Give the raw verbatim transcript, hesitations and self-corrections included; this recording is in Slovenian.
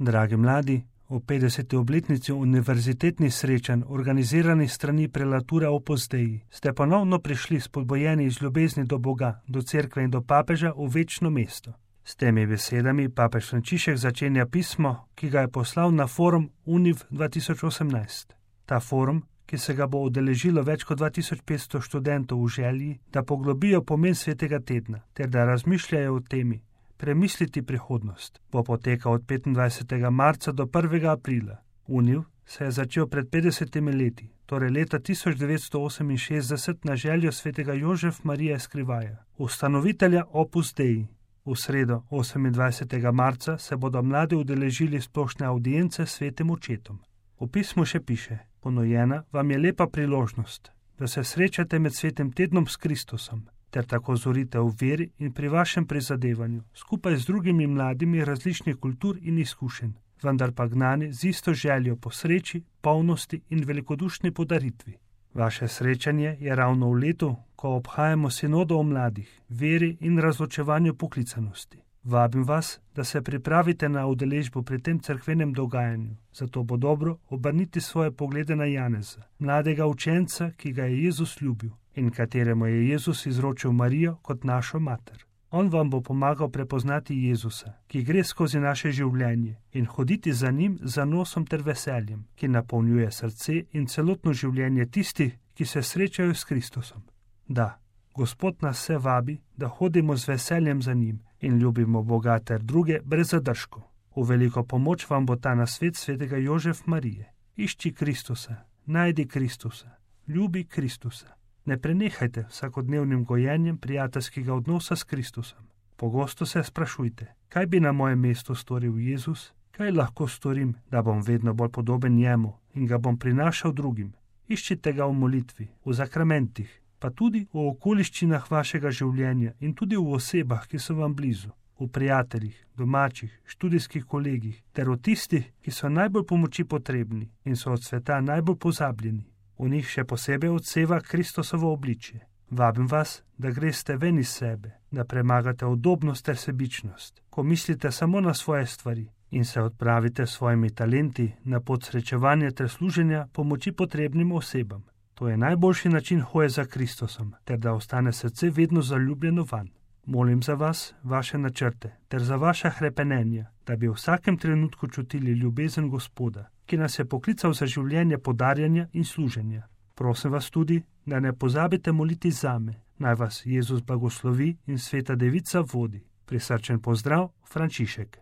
Dragi mladi, v petdeseti obletnici univerzitetnih srečanj, organiziranih strani prelature Opus Dei, ste ponovno prišli spodbojeni iz ljubezni do Boga, do cerkve in do papeža v večno mesto. S temi besedami papež Frančišek začenja pismo, ki ga je poslal na forum Univ dva tisoč osemnajst. Ta forum, ki se ga bo udeležilo več kot dva tisoč petsto študentov v želji, da poglobijo pomen svetega tedna, ter da razmišljajo o temi, premisliti prihodnost, bo potekal od petindvajsetega marca do prvega aprila. Univ se je začel pred petdesetimi leti, torej leta tisoč devetsto oseminšestdeset na željo svetega Jožef Marija Eskrivaja, ustanovitelja Opus Dei. V sredo osemindvajsetega marca se bodo mladi udeležili splošne avdience s svetim očetom. V pismu še piše: ponujena vam je lepa priložnost, da se srečate med svetim tednom s Kristusom, ter tako zorite v veri in pri vašem prizadevanju, skupaj z drugimi mladimi različnih kultur in izkušenj, vendar pa gnani z isto željo po sreči, polnosti in velikodušni podaritvi. Vaše srečanje je ravno v letu, ko obhajamo sinodo o mladih, veri in razločevanju poklicanosti. Vabim vas, da se pripravite na udeležbo pri tem cerkvenem dogajanju, zato bo dobro obrniti svoje poglede na Janeza, mladega učenca, ki ga je Jezus ljubil in kateremu je Jezus izročil Marijo kot našo mater. On vam bo pomagal prepoznati Jezusa, ki gre skozi naše življenje, in hoditi za njim z zanosom ter veseljem, ki napolnjuje srce in celotno življenje tistih, ki se srečajo s Kristusom. Da, Gospod nas vse vabi, da hodimo z veseljem za njim in ljubimo Boga ter druge brez zadržkov. V veliko pomoč vam bo ta nasvet svetega Jožef Marije. Išči Kristusa, najdi Kristusa, ljubi Kristusa. Ne prenehajte vsakodnevnim gojenjem prijateljskega odnosa s Kristusom. Pogosto se sprašujte, kaj bi na mojem mestu storil Jezus, kaj lahko storim, da bom vedno bolj podoben njemu in ga bom prinašal drugim. Iščite ga v molitvi, v zakramentih, pa tudi v okoliščinah vašega življenja in tudi v osebah, ki so vam blizu, v prijateljih, domačih, študijskih kolegih, ter v tistih, ki so najbolj pomoči potrebni in so od sveta najbolj pozabljeni. V njih še posebej odseva Kristusovo obličje. Vabim vas, da greste ven iz sebe, da premagate udobnost ter sebičnost, ko mislite samo na svoje stvari in se odpravite s svojimi talenti na pot srečevanja ter služenja pomoči potrebnim osebam. To je najboljši način hoje za Kristusom, ter da ostane srce vedno zaljubljeno vanj. Molim za vas, vaše načrte, ter za vaša hrepenenja, da bi v vsakem trenutku čutili ljubezen Gospoda, ki nas je poklical za življenje podarjanja in služenja. Prosim vas tudi, da ne pozabite moliti zame. Naj vas Jezus blagoslovi in sveta Devica vodi. Prisrčen pozdrav, Frančišek.